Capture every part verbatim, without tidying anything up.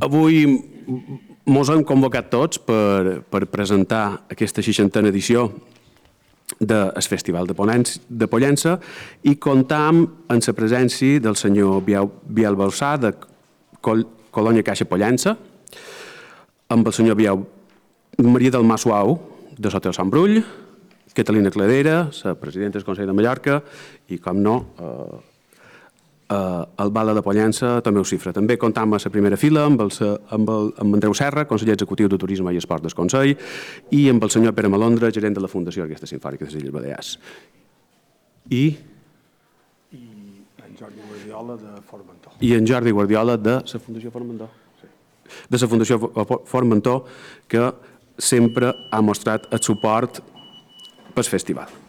Avui ens hem convocat tots per, per presentar aquesta seixantena edició del Festival de, Ponència, de Pollença i comptam amb la presència del senyor Biel Balsà de Col Colònia Caixa Pollença, amb el senyor Biel Maria del Mar Suau de l'Hotel Sant Brull, Catalina Cladera, la presidenta del Consell de Mallorca i, com no, eh, Uh, el Bala de Pollença també ho cifra. També comptam a la primera fila amb, el, amb, el, amb Andreu Serra, conseller executiu de Turisme i Esport del Consell, i amb el senyor Pere Malondra, gerent de la Fundació Orquestra Simfònica de les Illes Balears. I... I en Jordi Guardiola de Formentor. I en Jordi Guardiola de la Fundació Formentor. Sí. De la Fundació Formentor, que sempre ha mostrat el suport pel festival.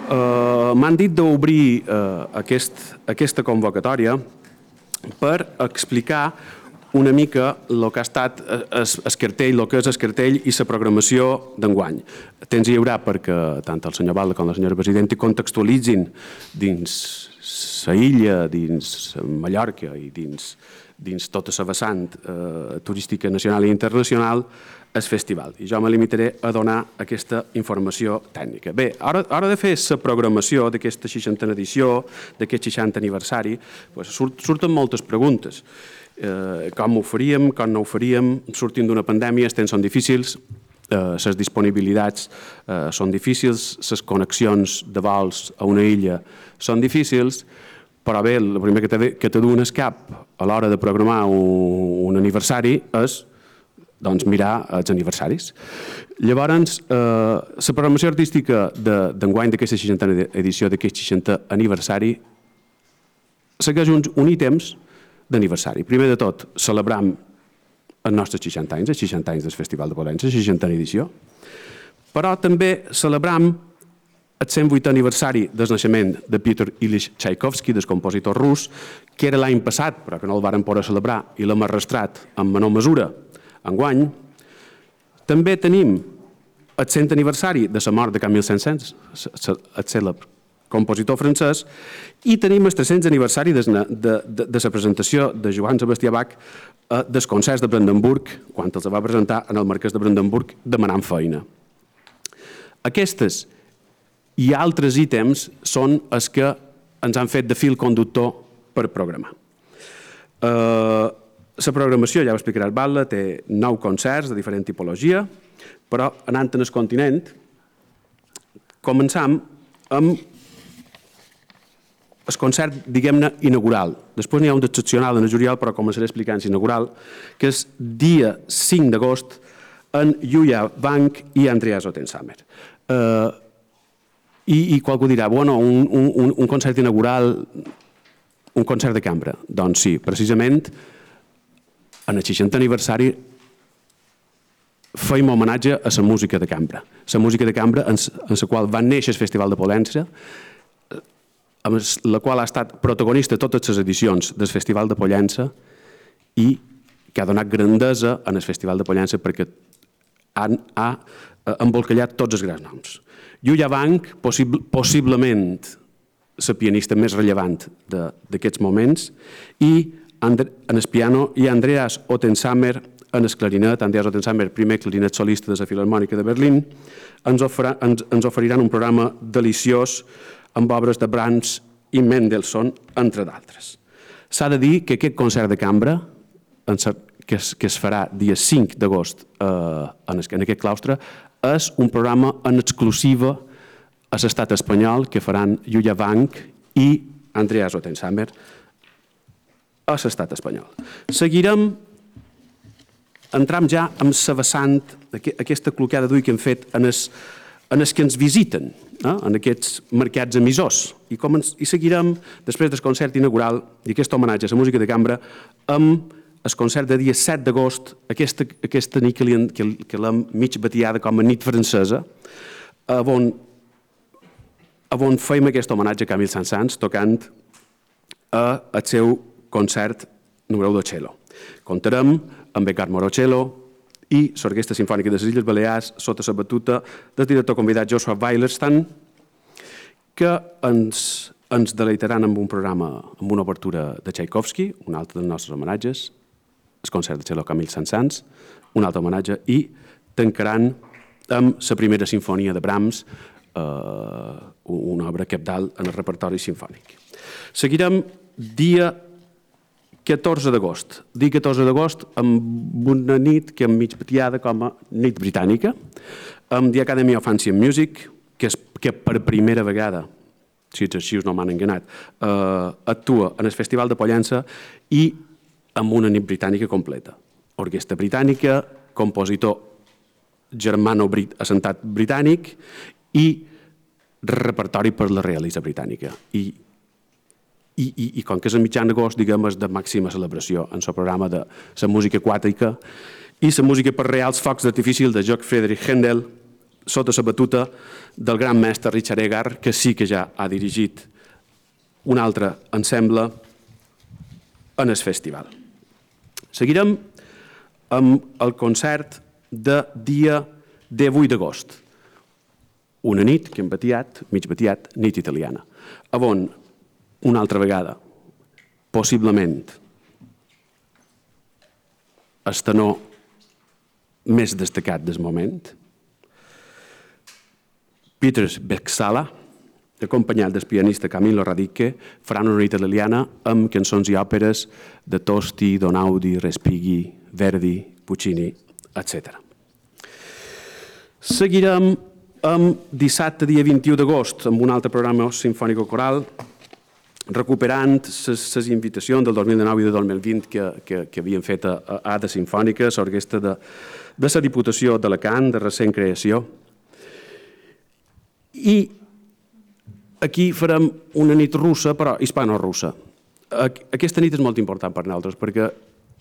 Uh, M'han dit d'obrir uh, aquest, aquesta convocatòria per explicar una mica el que ha estat el cartell, el que és el cartell i la programació d'enguany. Temps hi haurà perquè tant el senyor Balda com la senyora presidenta contextualitzin dins la illa, dins Mallorca i dins, dins tota la vessant eh, turística nacional i internacional el festival. I jo me limitaré a donar aquesta informació tècnica. Bé, a l'hora de fer la programació d'aquesta seixantena edició, d'aquest seixantè aniversari, doncs surt, surten moltes preguntes. Eh, com ho faríem, com no ho faríem, sortint d'una pandèmia, els temps són difícils, les eh, disponibilitats eh, són difícils, les connexions de vols a una illa són difícils, però bé, el primer que te, que te duen al cap a l'hora de programar un, un aniversari és doncs, mirar els aniversaris. Llavors, eh, la programació artística d'enguany d'aquesta seixantena edició d'aquest seixantè aniversari segueix uns, uns ítems d'aniversari. Primer de tot, celebram els nostres seixanta anys, els seixanta anys del Festival de Pollença, la seixantena edició, però també celebram el cent vuitè aniversari del naixement de Peter Ilyich Tchaikovsky, del compositor rus, que era l'any passat, però que no el varen poder celebrar i l'hem arrastrat en menor mesura enguany. També tenim el cent aniversari de la mort de Camille Saint-Saëns, el cèlebre compositor francès, i tenim el tres-cents aniversari de, de, de, de la presentació de Johann Sebastian Bach eh, dels concerts de Brandenburg, quan els va presentar en el Marquès de Brandenburg demanant feina. Aquestes i altres ítems són els que ens han fet de fil conductor per programar. Eh, La programació, ja ho explicarà el Batlle, té nou concerts de diferent tipologia, però anant en el continent, començam amb el concert, diguem-ne, inaugural. Després n'hi ha un d'excepcional en el juliol, però començaré explicant l'inaugural, que és dia cinc d'agost en Yuya Wang i Andreas Ottensamer. Eh, i, I qualcú dirà, bueno, un, un, un concert inaugural, un concert de cambra. Doncs sí, precisament, en el seixantè aniversari feim homenatge a la música de cambra. La música de cambra en la qual va néixer el Festival de Pollença, amb la qual ha estat protagonista de totes les edicions del Festival de Pollença i que ha donat grandesa en el Festival de Pollença perquè ha, ha embolcallat tots els grans noms. Yuya Wang, possible, possiblement la pianista més rellevant d'aquests moments, i en el piano, i Andreas Ottensamer en el clarinet. Andreas Ottensamer, primer clarinet solista de la Filharmònica de Berlín, ens, ofera, ens, ens oferiran un programa deliciós amb obres de Brahms i Mendelssohn, entre d'altres. S'ha de dir que aquest concert de cambra, que es, que es farà dia cinc d'agost eh, en, en aquest claustre, és un programa en exclusiva a l'estat espanyol que faran Yuya Wang i Andreas Ottensamer a l'estat espanyol. Seguirem, entram ja amb la vessant, aquesta cloqueada d'ull que hem fet en els, en els que ens visiten, eh? En aquests mercats emissors. I, com ens, I seguirem, després del concert inaugural i aquest homenatge a la música de cambra, amb el concert de dia set d'agost, aquesta, aquesta nit que, li, que, que l'hem mig batiada com a nit francesa, on, on feim aquest homenatge a Camille Saint-Saëns tocant el seu concert número de cello. Comptarem amb Edgar Morocello i l'Orquestra Simfònica de les Illes Balears sota la batuta del director convidat Joshua Weilerstan, que ens, ens deleitaran amb un programa, amb una obertura de Tchaikovsky, un altre dels nostres homenatges, el concert de cello Camille Saint-Saëns, un altre homenatge, i tancaran amb la primera sinfonia de Brahms, eh, una obra cabdal en el repertori sinfònic. Seguirem dia catorze d'agost. Dia catorze d'agost amb una nit que és mig batiada com a nit britànica, amb The Academy of Ancient Music, que, és, que per primera vegada, si els arxius no m'han enganat, eh, actua en el Festival de Pollença i amb una nit britànica completa. Orquestra britànica, compositor germano-assentat britànic i repertori per la realitza britànica. I I, i, i com que és el mitjan d'agost, diguem, és de màxima celebració en el programa de la música aquàtica i la música per reals focs d'artifici de Georg Friedrich Händel, sota la batuta del gran mestre Richard Egar, que sí que ja ha dirigit un altre ensemble en el festival. Seguirem amb el concert de dia divuit d'agost. Una nit que hem batiat, mig batiat, nit italiana, on una altra vegada, possiblement, el tenor més destacat del moment, Peter Bexala, acompanyat del pianista Camillo Radice, faran una nit italiana amb cançons i òperes de Tosti, Donaudi, Respighi, Verdi, Puccini, etcètera. Seguirem amb dissabte, dia vint-i-u d'agost, amb un altre programa sinfònico-coral, recuperant les invitacions del dos mil dinou i del dos mil vint que, que, que havien fet a, a Ada Sinfònica, l'orquestra de, de la Diputació d'Alacant, de recent creació. I aquí farem una nit russa, però hispano-russa. Aquesta nit és molt important per nosaltres, perquè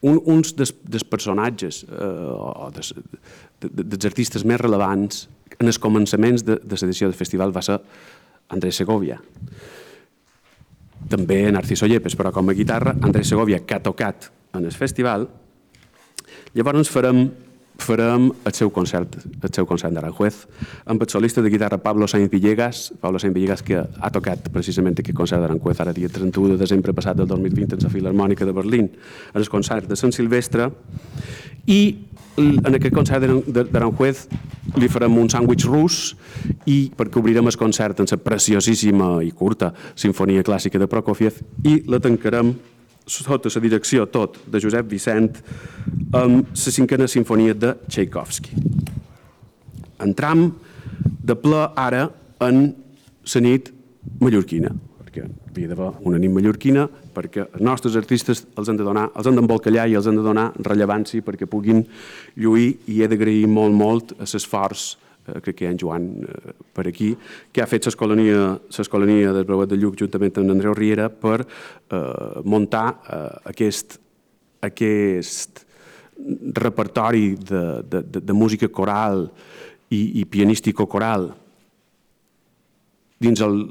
un, uns dels, dels personatges eh, o des, de, de, dels artistes més relevants en els començaments de, de l'edició del festival va ser Andrés Segovia. També Narciso Yepes, però com a guitarra, Andrés Segovia, que ha tocat en el festival. Llavors farem, farem el seu concert, el seu concert d'Aranjuez, amb el solista de guitarra Pablo Sainz Villegas, Pablo Sainz Villegas que ha tocat precisament aquest concert d'Aranjuez ara dia trenta-u de desembre passat del dos mil vint en la Filharmònica de Berlín, en el concert de Sant Silvestre, i en aquest concert d'Aranjuez li farem un sàndwich rus i perquè obrirem el concert en la preciosíssima i curta Sinfonia Clàssica de Prokofiev i la tancarem sota la direcció tot de Josep Vicent amb la cinquena sinfonia de Tchaikovsky. Entram de ple ara en la nit mallorquina, perquè havia d'haver una nit mallorquina perquè els nostres artistes els han de donar, els han d'embolcallar i els han de donar rellevància perquè puguin lluir, i he d'agrair molt, molt l'esforç, eh, crec que hi ha en Joan eh, per aquí, que ha fet l'escolania del Breuet de Lluc juntament amb Andreu Riera per eh, muntar eh, aquest, aquest repertori de, de, de, de música coral i, i pianístico-coral dins el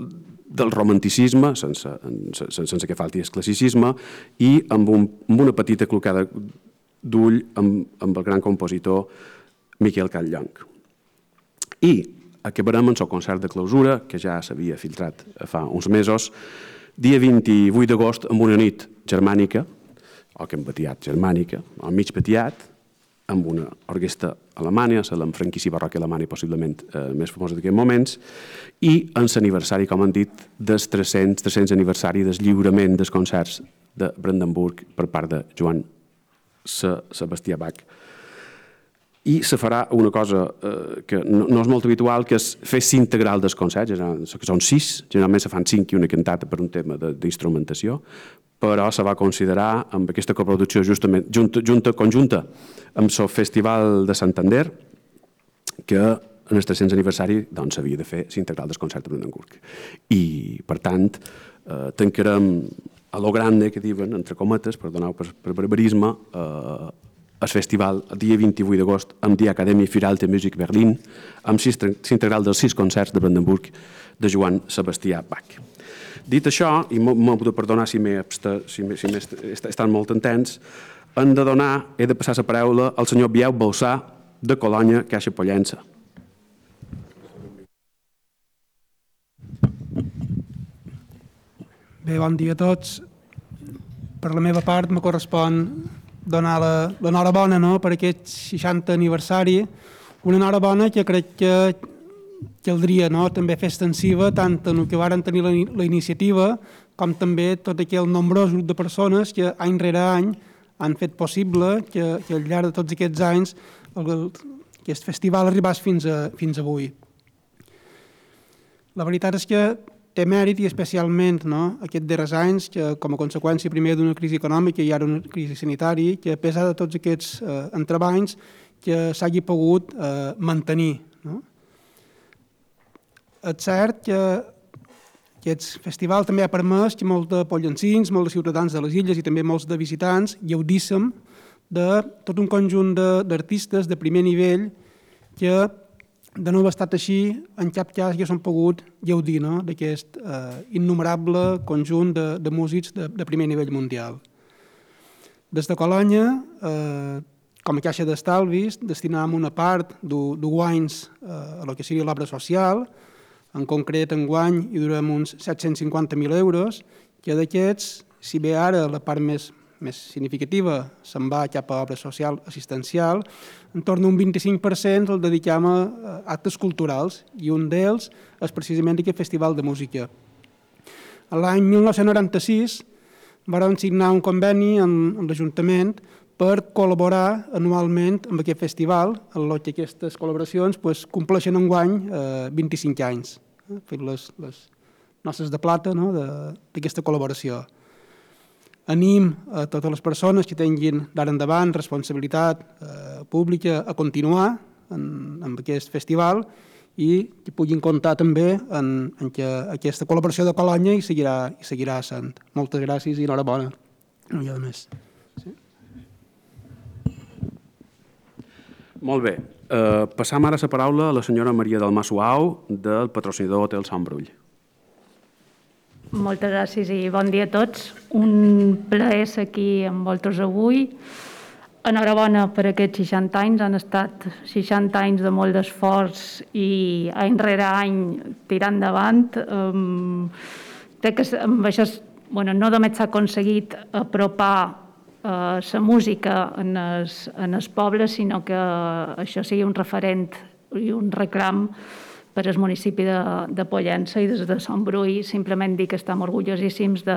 del romanticisme, sense, sense, sense que falti el classicisme, i amb, un, amb una petita clocada d'ull amb, amb el gran compositor Miquel Catllonc. I acabarem amb el concert de clausura, que ja s'havia filtrat fa uns mesos, dia vint-i-vuit d'agost, amb una nit germànica, o que hem batiat germànica, o mig batiat, amb una orquestra alemanya, la franquícia barroca alemanya possiblement eh, més famosa d'aquests moments, i en l'aniversari, com han dit, del tres-cents, tres-cents aniversari del lliurament dels concerts de Brandenburg per part de Joan Sebastià Bach. I se farà una cosa eh, que no, no és molt habitual, que és fer integral dels concerts, que són sis, generalment se fan cinc i una cantata per un tema d'instrumentació, però se va considerar amb aquesta coproducció justament, junta, junta, conjunta amb el Festival de Santander, que en el tres-cents aniversari doncs, s'havia de fer l'integral del concert de Brandenburg. I, per tant, eh, tancarem a lo grande, que diuen, entre cometes, perdoneu per, per barbarisme, eh, el festival el dia vint-i-vuit d'agost amb Die Akademie für Alte Musik Berlin, amb l'integral dels sis concerts de Brandenburg de Joan Sebastià Bach. Dit això, i m'ho de perdonar si m'he si si estat molt intens, hem de donar, he de passar la paraula al senyor Bieu Balsà de Colònia, Caixa Pollença. Bé, bon dia a tots. Per la meva part, me correspon donar l'enhorabona, no?, per aquest seixantè aniversari, una enhorabona que crec que caldria, no?, també fer extensiva tant en el que varen tenir la, la iniciativa com també tot aquell nombrós grup de persones que any rere any han fet possible que, que al llarg de tots aquests anys el, el, aquest festival arribés fins, a, fins avui. La veritat és que té mèrit i especialment, no?, aquests darrers anys que com a conseqüència primer d'una crisi econòmica i ara una crisi sanitària, que a pesar de tots aquests eh, entrebancs que s'hagi pogut eh, mantenir. No? És cert que aquest festival també ha permès que molts de pollencins, molts de ciutadans de les illes i també molts de visitants gaudíssim de tot un conjunt d'artistes de, de primer nivell que de no haver estat així, en cap cas ja s'han pogut gaudir, no?, d'aquest eh, innumerable conjunt de, de músics de, de primer nivell mundial. Des de Colònia, eh, com a caixa d'estalvis, destinàvem una part de guanys eh, a lo que sigui l'obra social, en concret en guany hi durem uns set-cents cinquanta mil euros, que d'aquests, si bé ara la part més més significativa se'n va cap a obra social assistencial, en torn a un vint-i-cinc per cent el dediquem a actes culturals i un d'ells és precisament aquest festival de música. L'any mil nou-cents noranta-sis vam signar un conveni amb l'Ajuntament per col·laborar anualment amb aquest festival, en què aquestes col·laboracions pues, compleixen enguany eh, vint-i-cinc anys, eh, fent les, les noces de plata, no?, d'aquesta col·laboració. Anim a totes les persones que tinguin d'ara endavant responsabilitat eh, pública a continuar en, en aquest festival i que puguin comptar també en, en que aquesta col·laboració de Colònia hi seguirà, hi seguirà sent. Moltes gràcies i enhorabona. No hi ha més. Sí? Molt bé. Uh, passam ara la paraula a la senyora Maria del Massuau del patrocinador Hotel Sant Brull. Moltes gràcies i bon dia a tots. Un plaer ser aquí amb vosaltres avui. Enhorabona per aquests seixanta anys. Han estat seixanta anys de molt d'esforç i any rere any tirar endavant. Um, crec que amb això bueno, no només s'ha aconseguit apropar uh, la música en els, en els pobles, sinó que això sigui un referent i un reclam per al municipi de, de Pollença i des de Sant Brull. Simplement dir que estem orgullosíssims de,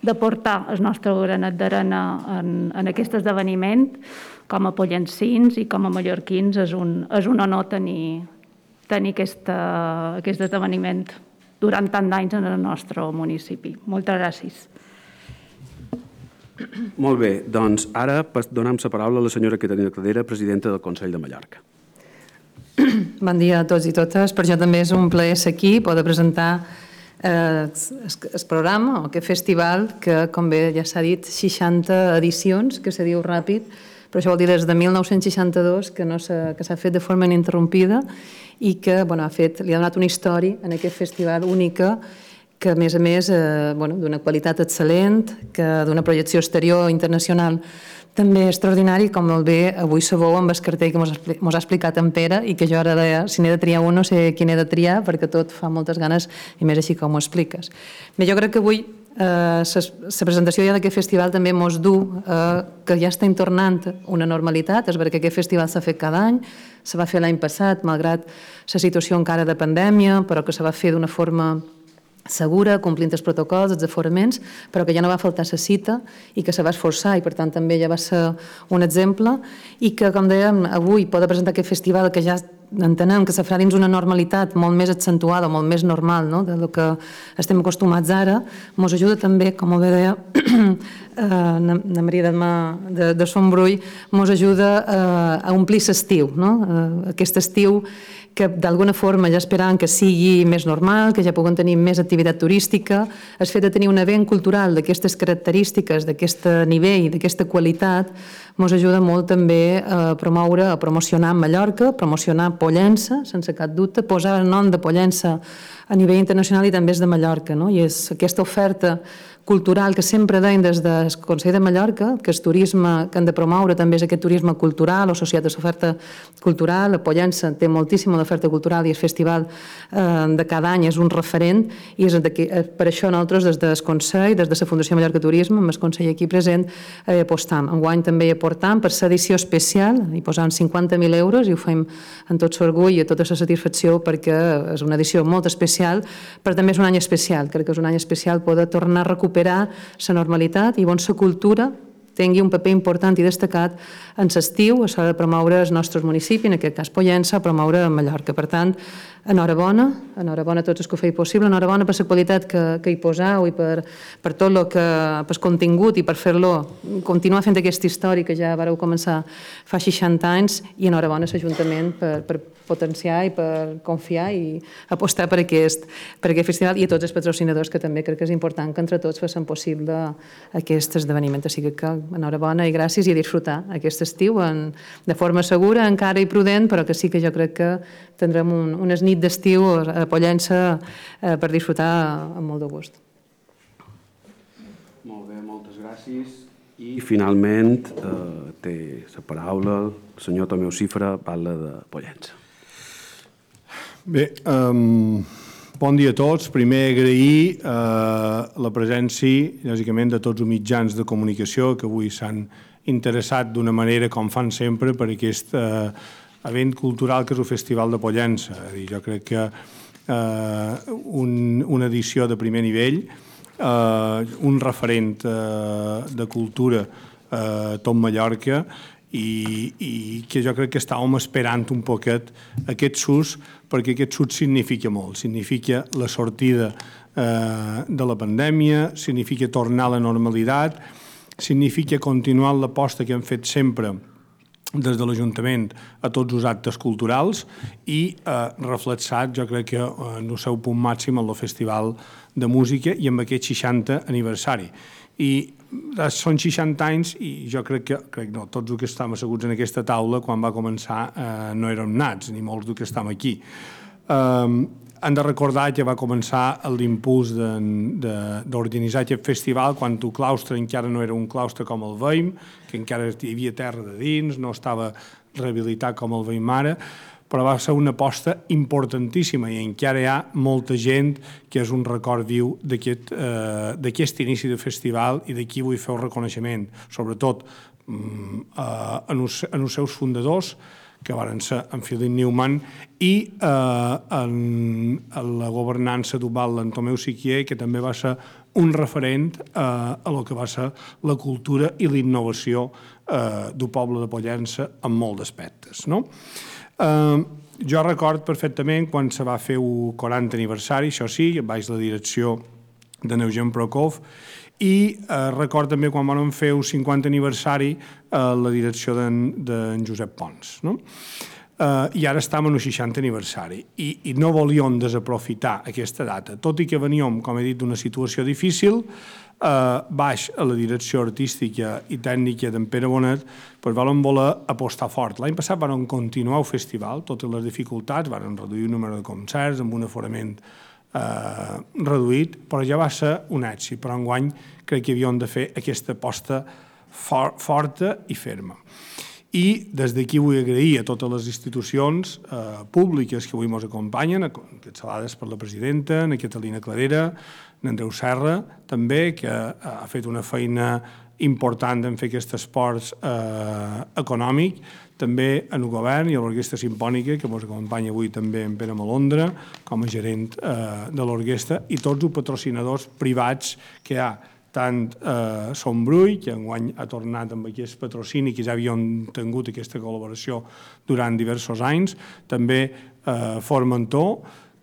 de portar el nostre granet d'arena en, en aquest esdeveniment. Com a pollencins i com a mallorquins és un, és un honor tenir, tenir aquesta, aquest esdeveniment durant tant d'anys en el nostre municipi. Moltes gràcies. Molt bé, doncs ara donem la paraula a la senyora Caterina Cladera, presidenta del Consell de Mallorca. Bon dia a tots i totes. Per jo també és un plaer ser aquí, poder presentar eh, el programa o aquest festival que, com bé ja s'ha dit, seixanta edicions, que se diu ràpid, però això vol dir des de mil nou-cents seixanta-dos que, no que s'ha fet de forma ininterrompida i que bueno, ha fet, li ha donat una història en aquest festival única que, a més a més, eh, bueno, d'una qualitat excel·lent, que d'una projecció exterior internacional també extraordinari, com molt bé avui sabeu amb el cartell que ens ha explicat en Pere i que jo ara, deia, si n'he de triar un, no sé quin he de triar, perquè tot fa moltes ganes i més així com ho expliques. Bé, jo crec que avui la eh, presentació ja d'aquest festival també mos du eh, que ja estem tornant una normalitat. És veritat que aquest festival s'ha fet cada any, se va fer l'any passat, malgrat la situació encara de pandèmia, però que se va fer d'una forma segura, complint els protocols, els aforaments, però que ja no va faltar la cita i que se va esforçar i per tant també ja va ser un exemple i que, com dèiem, avui poder presentar aquest festival que ja entenem que se farà dins una normalitat molt més accentuada, molt més normal, no?, del que estem acostumats ara, ens ajuda també, com bé deia la Maria de, de Sant Brull, ens ajuda a omplir l'estiu, no? Aquest estiu que d'alguna forma ja esperàvem que sigui més normal, que ja puguem tenir més activitat turística. El fet de tenir un event cultural d'aquestes característiques, d'aquest nivell, d'aquesta qualitat, ens ajuda molt també a promoure, a promocionar Mallorca, promocionar Pollença, sense cap dubte, posar el nom de Pollença a nivell internacional i també és de Mallorca, no? I és aquesta oferta cultural que sempre deien des del Consell de Mallorca, que el turisme que han de promoure també és aquest turisme cultural o associat a l'oferta cultural. A Pollença té moltíssima l'oferta cultural i el festival eh, de cada any és un referent i és de que, per això nosaltres des del Consell, des de la Fundació Mallorca Turisme, amb el Consell aquí present, eh, apostam. Enguany també hi aportam per l'edició especial, hi posam cinquanta mil euros i ho fem amb tot l'orgull i tota la satisfacció perquè és una edició molt especial, però també és un any especial. Crec que és un any especial poder tornar a recuperar la normalitat i on la cultura tingui un paper important i destacat en l'estiu a l'hora de promoure el nostre municipi, en aquest cas Pollença, a promoure Mallorca. Per tant, enhorabona, enhorabona a tots els que ho feu possible, enhorabona per la qualitat que, que hi poseu i per, per tot el que, per contingut i per fer-lo, continuar fent aquesta història que ja vareu començar fa seixanta anys, i enhorabona a l'Ajuntament per, per potenciar i per confiar i apostar per aquest, per aquest festival, i a tots els patrocinadors, que també crec que és important que entre tots facin possible aquest esdeveniment. O sigui que enhorabona i gràcies, i a disfrutar aquest estiu en, de forma segura, encara i prudent, però que sí que jo crec que tindrem un, unes nit d'estiu a Pollença eh, per disfrutar amb molt de gust. Molt bé, moltes gràcies. I finalment eh, té la paraula el senyor Tomeu Cifra, parla de Pollença. Bé, um, bon dia a tots. Primer agrair uh, la presència, lògicament, de tots els mitjans de comunicació que avui s'han interessat d'una manera, com fan sempre, per aquest uh, event cultural que és el Festival de Pollença. Jo crec que uh, un, una edició de primer nivell, uh, un referent uh, de cultura uh, tot Mallorca, i, i que jo crec que estàvem esperant un poquet aquest sus, perquè aquest sus significa molt. Significa la sortida eh, de la pandèmia, significa tornar a la normalitat, significa continuar l'aposta que hem fet sempre des de l'Ajuntament a tots els actes culturals i eh, reflexat, jo crec que en el seu punt màxim en el Festival de Música i amb aquest seixantè aniversari. I són seixanta anys i jo crec que, crec no, tots els que estem asseguts en aquesta taula quan va començar eh, no érem nats, ni molts dels que estem aquí. Um, hem de recordar que va començar l'impuls d'organitzar aquest festival quan el claustre encara no era un claustre com el veiem, que encara hi havia terra de dins, no estava rehabilitat com el veiem ara, però va ser una aposta importantíssima i encara hi ha molta gent que és un record viu d'aquest eh, inici de festival, i d'aquí vull fer el reconeixement, sobretot eh, en, els, en els seus fundadors, que van ser en Philip Newman, i eh, en, en la governança d'Ubal, en Tomeu Siquier, que també va ser un referent eh, a lo que va ser la cultura i la innovació eh, del poble de Pollença en molts aspectes, no? Uh, jo record perfectament quan se va fer el quarantè aniversari, això sí, baix la direcció de Eugen Prokov, i uh, record també quan vam fer el cinquantè aniversari a uh, la direcció d'en de Josep Pons, no? Uh, I ara estem en el seixantè aniversari i, i no volíem desaprofitar aquesta data, tot i que veníem, com he dit, d'una situació difícil. Uh, baix a la direcció artística i tècnica d'en Pere Bonet, doncs vam voler apostar fort. L'any passat vam continuar el festival, totes les dificultats, vam reduir el número de concerts amb un aforament uh, reduït, però ja va ser un èxit. Però enguany crec que havíem de fer aquesta aposta for forta i ferma. I des d'aquí vull agrair a totes les institucions eh, públiques que avui ens acompanyen, encapçalades per la presidenta, en Catalina Clarera, en Andreu Serra, també, que ha fet una feina important en fer aquest esport eh, econòmic, també en el govern i a l'Orquestra Simpònica, que ens acompanya avui també en Pere Malondra, com a gerent eh, de l'orquestra, i tots els patrocinadors privats que hi ha, tant eh, Sombrull, que enguany ha tornat amb aquest patrocini, que ja havíem tingut aquesta col·laboració durant diversos anys, també eh, Formentor,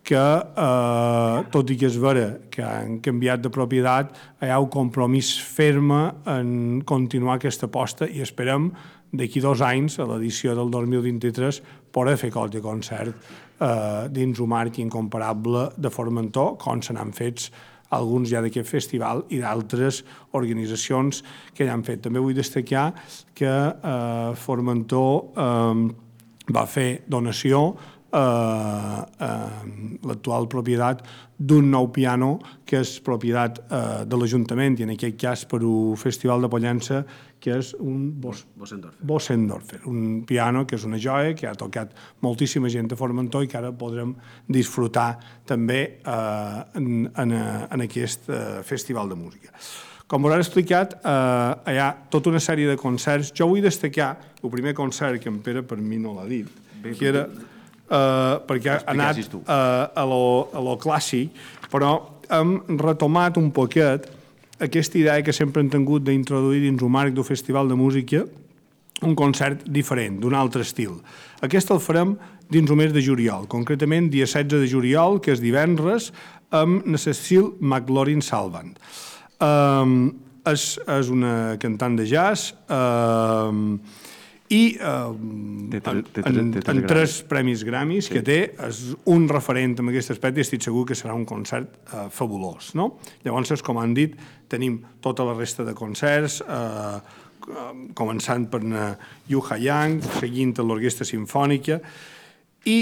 que eh, tot i que és vera que han canviat de propietat, hi ha un compromís ferme en continuar aquesta aposta i esperem d'aquí dos anys, a l'edició del dos mil vint-i-tres, poder fer qualque concert eh, dins un marc incomparable de Formentor, com se n'han fets alguns ja d'aquest festival i d'altres organitzacions que ja han fet. També vull destacar que eh, Formentor eh, va fer donació eh, eh, l'actual propietat d'un nou piano que és propietat eh, de l'Ajuntament, i en aquest cas per un festival de Pollença, que és un Bos Bosendorfer. Bosendorfer, un piano que és una joia, que ha tocat moltíssima gent a Formentor i que ara podrem disfrutar també eh, en, en, en aquest eh, festival de música. Com us he explicat, eh, hi ha tota una sèrie de concerts. Jo vull destacar el primer concert, que en Pere per mi no l'ha dit, Bé, que era eh, perquè ha anat tu. eh, a, lo, a lo clàssic, però hem retomat un poquet aquesta idea que sempre hem tingut d'introduir dins un marc d'un festival de música un concert diferent, d'un altre estil. Aquest el farem dins el mes de juliol, concretament dia setze de juliol, que és divendres, amb la Cecil McLaurin Salvant. Um, és, és una cantant de jazz um, i um, Té tre- té tre- en, té tres en tres Grammys. premis Grammys que té, és un referent en aquest aspecte i estic segur que serà un concert uh, fabulós. No? Llavors, com han dit, tenim tota la resta de concerts, uh, començant per uh, Yu Ha-yang, seguint l'Orquestra Simfònica, i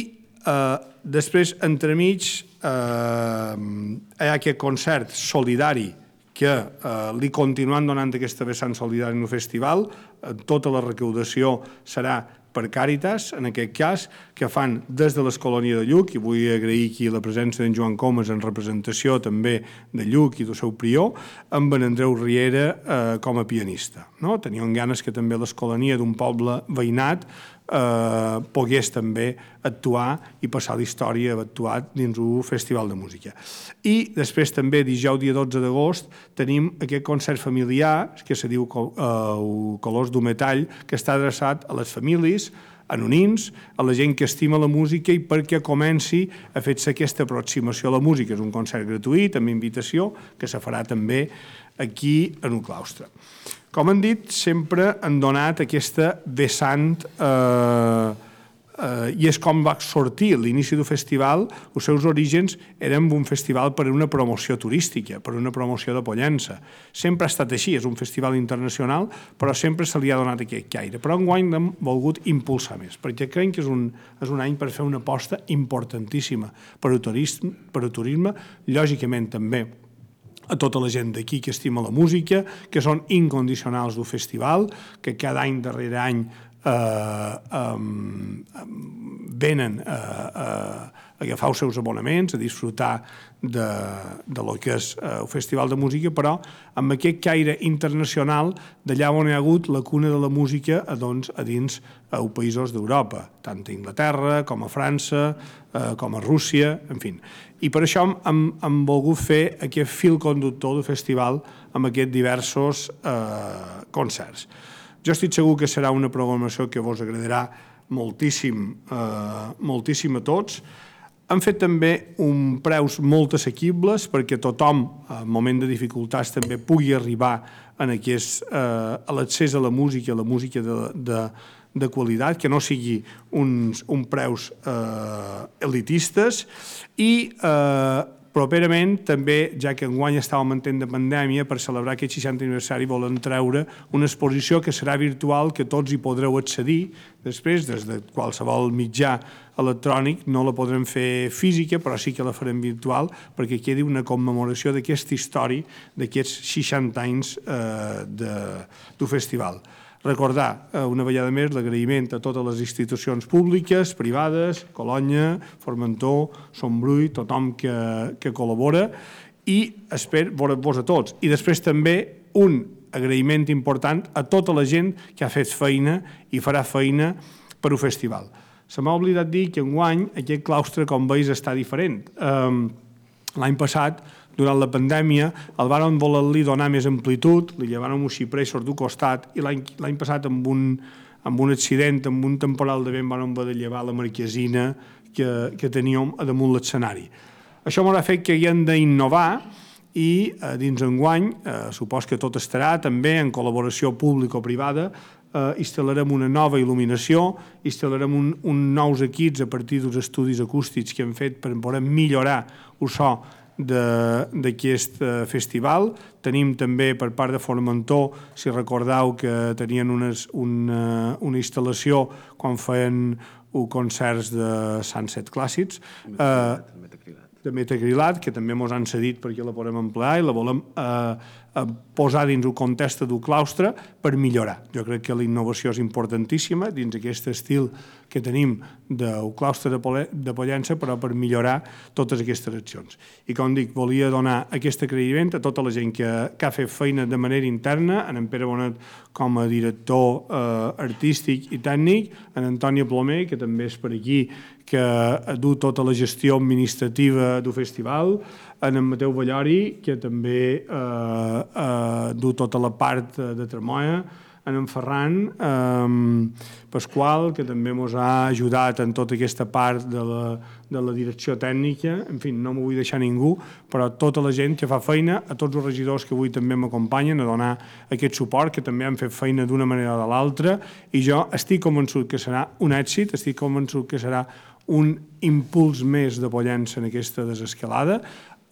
Uh, després, entremig, uh, hi ha aquest concert solidari que uh, li continuem donant aquesta vessant solidària en el festival. Uh, tota la recaudació serà per Càritas, en aquest cas, que fan des de l'Escolònia de Lluc, i vull agrair aquí la presència d'en Joan Comas en representació també de Lluc i del seu prior, amb en Andreu Riera eh, com a pianista. No? Teníem ganes que també l'Escolònia d'un poble veïnat eh, pogués també actuar i passar la història actuat dins un festival de música. I després també, dijous dia dotze d'agost, tenim aquest concert familiar que se diu eh, Colors d'un metall, que està adreçat a les famílies, anonims, a la gent que estima la música i perquè comenci a fer-se aquesta aproximació a la música. És un concert gratuït, amb invitació, que se farà també aquí en el claustre. Com han dit, sempre han donat aquesta vessant eh, eh, i és com va sortir l'inici del festival. Els seus orígens eren un festival per una promoció turística, per una promoció de Pollença. Sempre ha estat així, és un festival internacional, però sempre se li ha donat aquest caire. Però enguany l'hem volgut impulsar més, perquè creiem que és un, és un any per fer una aposta importantíssima per al turisme, per al turisme, lògicament també a tota la gent d'aquí que estima la música, que són incondicionals del festival, que cada any darrere any eh, um, venen a, a, a agafar els seus abonaments, a disfrutar de, de lo que és eh, el festival de música, però amb aquest caire internacional d'allà on hi ha hagut la cuna de la música a, doncs, a dins els països d'Europa, tant a Inglaterra com a França, eh, com a Rússia, en fi. I per això hem, hem volgut fer aquest fil conductor del festival amb aquests diversos eh, concerts. Jo estic segur que serà una programació que vos agradarà moltíssim, eh, moltíssim a tots. Han fet també un preus molt assequibles perquè tothom, en moment de dificultats, també pugui arribar en aquest, eh, a l'accés a la música, a la música de, de, de qualitat, que no sigui uns, un preus eh, elitistes, i eh, properament també, ja que enguany estàvem en temps de pandèmia, per celebrar aquest seixantè aniversari volen treure una exposició que serà virtual, que tots hi podreu accedir després, des de qualsevol mitjà electrònic. No la podrem fer física, però sí que la farem virtual, perquè quedi una commemoració d'aquesta història, d'aquests seixanta anys eh, de, del festival. Recordar una vegada més l'agraïment a totes les institucions públiques, privades, Colònia, Formentor, Sombrull, tothom que, que col·labora, i espero veure-vos a tots. I després també un agraïment important a tota la gent que ha fet feina i farà feina per al festival. Se m'ha oblidat dir que enguany aquest claustre, com veus, està diferent. L'any passat, durant la pandèmia, el varen voler-li donar més amplitud, li llevàrem un xipreixos d'un costat, i l'any passat, amb un, amb un accident, amb un temporal de vent, varen haver de llevar la marquesina que, que teníem a damunt l'escenari. Això m'ha fet que haguem d'innovar i eh, dins enguany, eh, supos que tot estarà també en col·laboració público-privada, eh, instal·larem una nova il·luminació, instal·larem un, un nous equips a partir dels estudis acústics que hem fet per poder millorar el so d'aquest festival. Tenim també per part de Formentor, si recordeu que tenien unes, una, una instal·lació quan feien concerts de Sunset Clàssics, eh, de metacrilat, que també ens han cedit perquè la podem emplear i la volem eh, posar dins el context del claustre per millorar. Jo crec que la innovació és importantíssima dins aquest estil que tenim del claustre de Pollença, però per millorar totes aquestes accions. I com dic, volia donar aquest agraïment a tota la gent que, que ha fet feina de manera interna, en Pere Bonet com a director eh, artístic i tècnic, en Antònia Plomer, que també és per aquí, que du tota la gestió administrativa del festival, en en Mateu Ballori, que també eh, eh, du tota la part de Tremoia, en en Ferran eh, Pasqual, que també ens ha ajudat en tota aquesta part de la, de la direcció tècnica. En fi, no m'ho vull deixar ningú, però tota la gent que fa feina, a tots els regidors que avui també m'acompanyen a donar aquest suport, que també han fet feina d'una manera o de l'altra, i jo estic convençut que serà un èxit, estic convençut que serà un impuls més de Pollença en aquesta desescalada,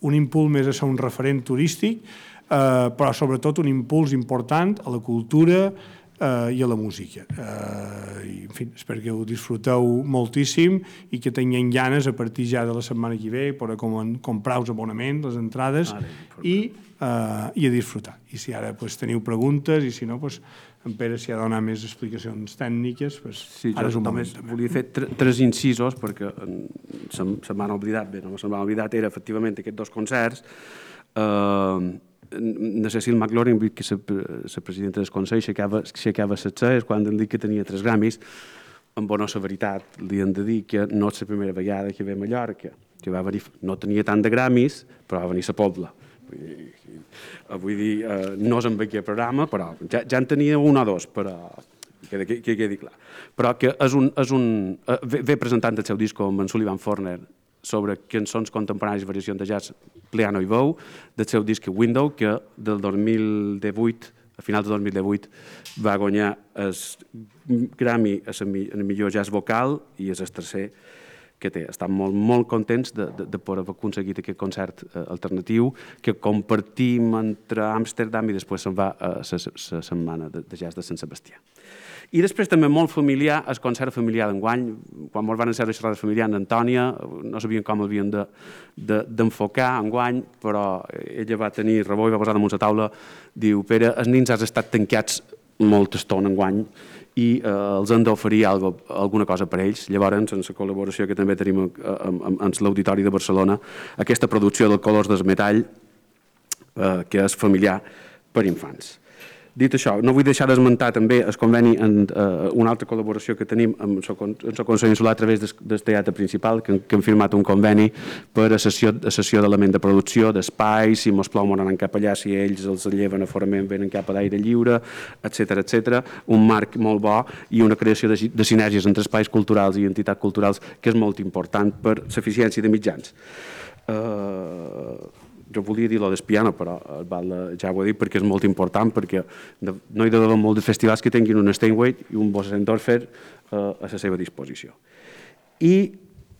un impuls més a ser un referent turístic, eh, però sobretot un impuls important a la cultura eh, i a la música. Eh, i, en fi, espero que ho disfruteu moltíssim i que tinguem ganes a partir ja de la setmana que ve per a com, comprar els abonaments, les entrades, ah, i, eh, i a disfrutar. I si ara pues, teniu preguntes i si no, pues, en Pere s'hi ha de donar més explicacions tècniques, pues, sí, ara és un moment. Només volia fer tres incisos, perquè se, se m'han oblidat, bé, no se m'han oblidat, era efectivament aquests dos concerts. Uh, la Cecil McLaurin, que és la presidenta del Consell, aixecava les celles quan han dit que tenia tres Grammys. En bona severitat li han de dir que no és la primera vegada que ve a Mallorca, que va venir, no tenia tant de Grammys, però va venir a la Pobla. Vull dir, eh, no és en aquest programa, però ja, ja en tenia un o dos, però que, que, que quedi clar. Però que és un, és un, eh, ve, ve presentant el seu disc amb en Sullivan Forner sobre cançons contemporanis i variacions de jazz, piano i veu, del seu disc Window, que del dos mil divuit, a finals de dos mil divuit, va guanyar el Grammy a el millor jazz vocal i és el tercer que té. Estan molt, molt contents de, de, de poder haver aconseguit aquest concert eh, alternatiu que compartim entre Amsterdam i després se'n va a la setmana de, de jazz de Sant Sebastià. I després també molt familiar, el concert familiar d'enguany, quan ens van encetar la xerrada familiar amb Antònia, no sabien com l'havien d'enfocar de, de, enguany, però ella va tenir rebó i va posar damunt la taula, diu, Pere, els nins has estat tancats molta estona enguany i eh, els han d'oferir alguna cosa per ells. Llavors, en la col·laboració que també tenim amb l'Auditori de Barcelona, aquesta producció del Colors del Metall, eh, que és familiar per infants. Dit això, no vull deixar d'esmentar també el conveni en uh, una altra col·laboració que tenim amb el Consell Insular a través del, del teatre principal, que, que hem firmat un conveni per a sessió, a sessió d'element de producció, d'espais, si mos plou moran cap allà, si ells els lleven a forament, venen cap a l'aire lliure, etcètera, etcètera. Un marc molt bo i una creació de, de sinergies entre espais culturals i entitats culturals que és molt important per l'eficiència de mitjans. Uh, jo volia dir-lo del piano, però ja ho he dit perquè és molt important, perquè no hi ha d'haver molts de festivals que tinguin un Steinway i un Bose-Endorfer a la seva disposició. I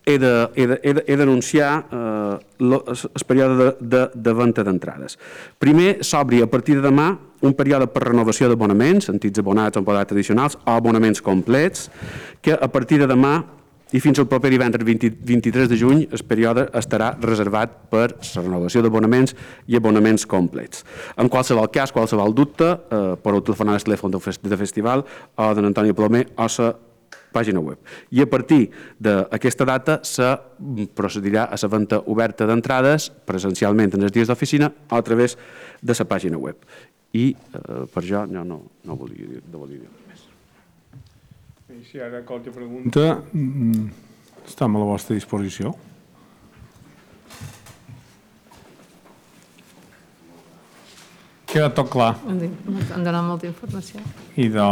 he d'anunciar el període de, de, de venda d'entrades. Primer, s'obri a partir de demà un període per renovació d'abonaments, antics abonats o abonats addicionals o abonaments complets, que a partir de demà i fins al proper divendres vint-i-tres de juny el període estarà reservat per la renovació d'abonaments i abonaments complets. En qualsevol cas, qualsevol dubte, eh, podeu telefonar al telèfon de festival o d'en Antònia Plomer o a la pàgina web. I a partir d'aquesta data se procedirà a la venda oberta d'entrades presencialment en els dies d'oficina o a través de la pàgina web. I eh, per això jo no, no volia dir, no volia dir res més. I si ara qualque pregunta, estem a la vostra disposició. Queda tot clar. Han donat molta informació. I de,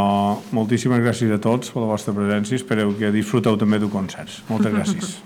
moltíssimes gràcies a tots per la vostra presència. Espereu que disfruteu també d'un concert. Moltes gràcies.